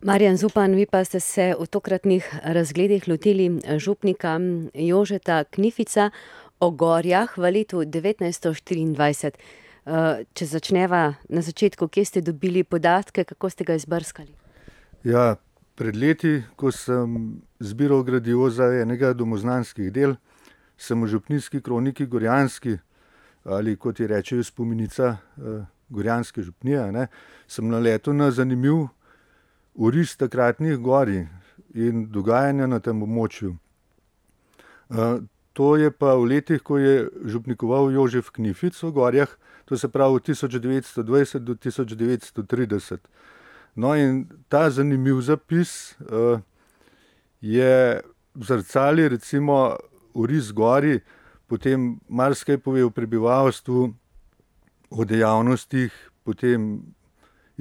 Marjan Zupan, vi pa ste se v tokratnih razgledih lotili župnika Jožeta Knifica o Gorjah v letu 1924. Če začneva na začetku, kje ste dobili podatke, kako ste ga izbrskali? Ja, pred leti, ko sem zbiral gradivo za enega domoznanskih del, sem v župnijski kroniki Gorjanski, ali kot ji rečejo spomenica Gorjanske župnije, sem naletel na zanimiv oris takratnih gorij in dogajanja na tem območju. To je pa v letih, ko je župnikoval Jožef Knific v Gorjah, to se pravi od 1920 do 1930. No, in ta zanimiv zapis je zrcali recimo oris gorij, potem marsikaj pove o prebivalstvu, o dejavnostih, potem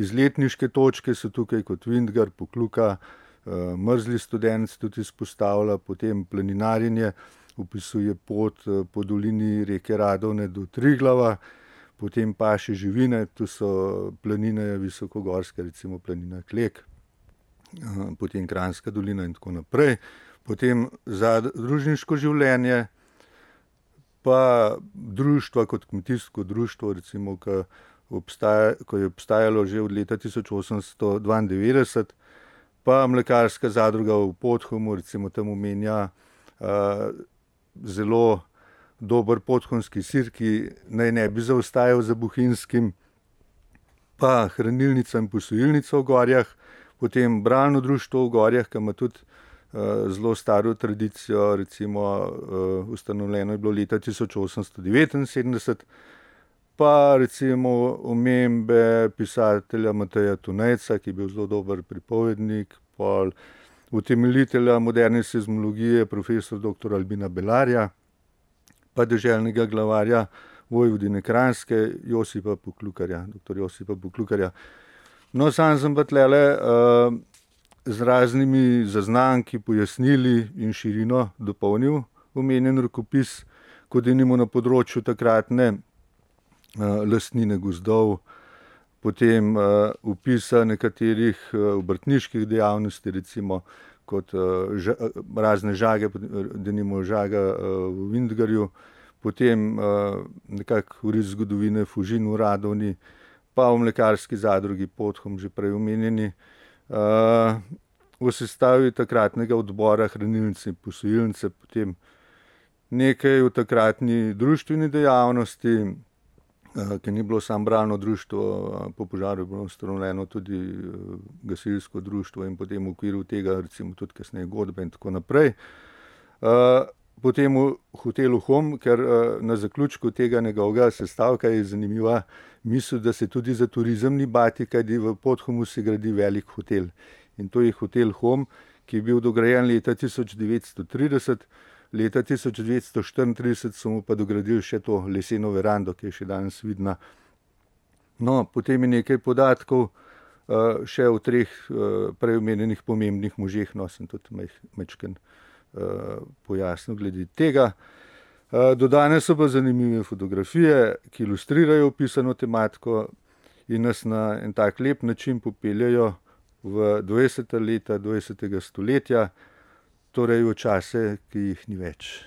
izletniške točke so tukaj kot Vintgar, Pokluka, Mrzli Studenc tudi izpostavlja, potem planinarjenje, opisuje pot po dolini reke Radovne do Triglava, potem paše živine, tu so planine visokogorske, recimo planina Klek, potem Kranjska dolina in tako naprej. Potem zadružniško življenje, pa društva kot kmetijsko društvo, recimo, ko je obstajalo že od leta 1892, pa mlekarska zadruga v Podhumu, recimo tam omenja zelo dober podhumski sir, ki naj ne bi zaostajal za bohinjskim, pa hranilnica in posojilnica v Gorjah, potem bralno društvo v Gorjah, ki ima tudi zelo staro tradicijo, recimo ustanovljeno je bilo leta 1879, pa recimo omembe pisatelja Mateja Tunejca, ki je bil zelo dober pripovednik, pol utemeljitelja moderne seizmologije, profesor dr. Albina Belarja, pa deželnega glavarja Vojvodine Kranjske, Josipa Poklukarja, dr. Josipa Poklukarja. No, sam sem pa tlele z raznimi zaznamki, pojasnili in širino dopolnil omenjen rokopis, kot denimo na področju takratne lastnine gozdov, potem opisa nekaterih obrtniških dejavnosti, recimo kot razne žage, denimo žaga v Vintgarju, potem nekako oris zgodovine Fužin v Radovni, pa v mlekarski zadrugi Podhum, že prej omenjeni, v sestavi takratnega odbora hranilnice in posojilnice, potem nekaj v takratni društveni dejavnosti, ki ni bilo samo bralno društvo, po požaru je bilo ustanovljeno tudi gasilsko društvo in potem v okviru tega recimo tudi kasneje godbe in tako naprej. Potem v hotelu Hom, ker na zaključku tega njegovega sestavka je zanimiva misel, da se tudi za turizem ni bati, kajti v Podhumu se gradi velik hotel. In to je hotel Hom, ki je bil dograjen leta 1930, leta 1934 so mu pa dogradili še to leseno verando, ki je še danes vidna. No, potem je nekaj podatkov še o treh prej omenjenih pomembnih možeh, no, sem tudi majčkeno pojasnil glede tega. Dodane so pa zanimive fotografije, ki ilustrirajo opisano tematiko in nas na en tak lep način popeljajo v 20. leta 20. stoletja, torej v čase, ki jih ni več.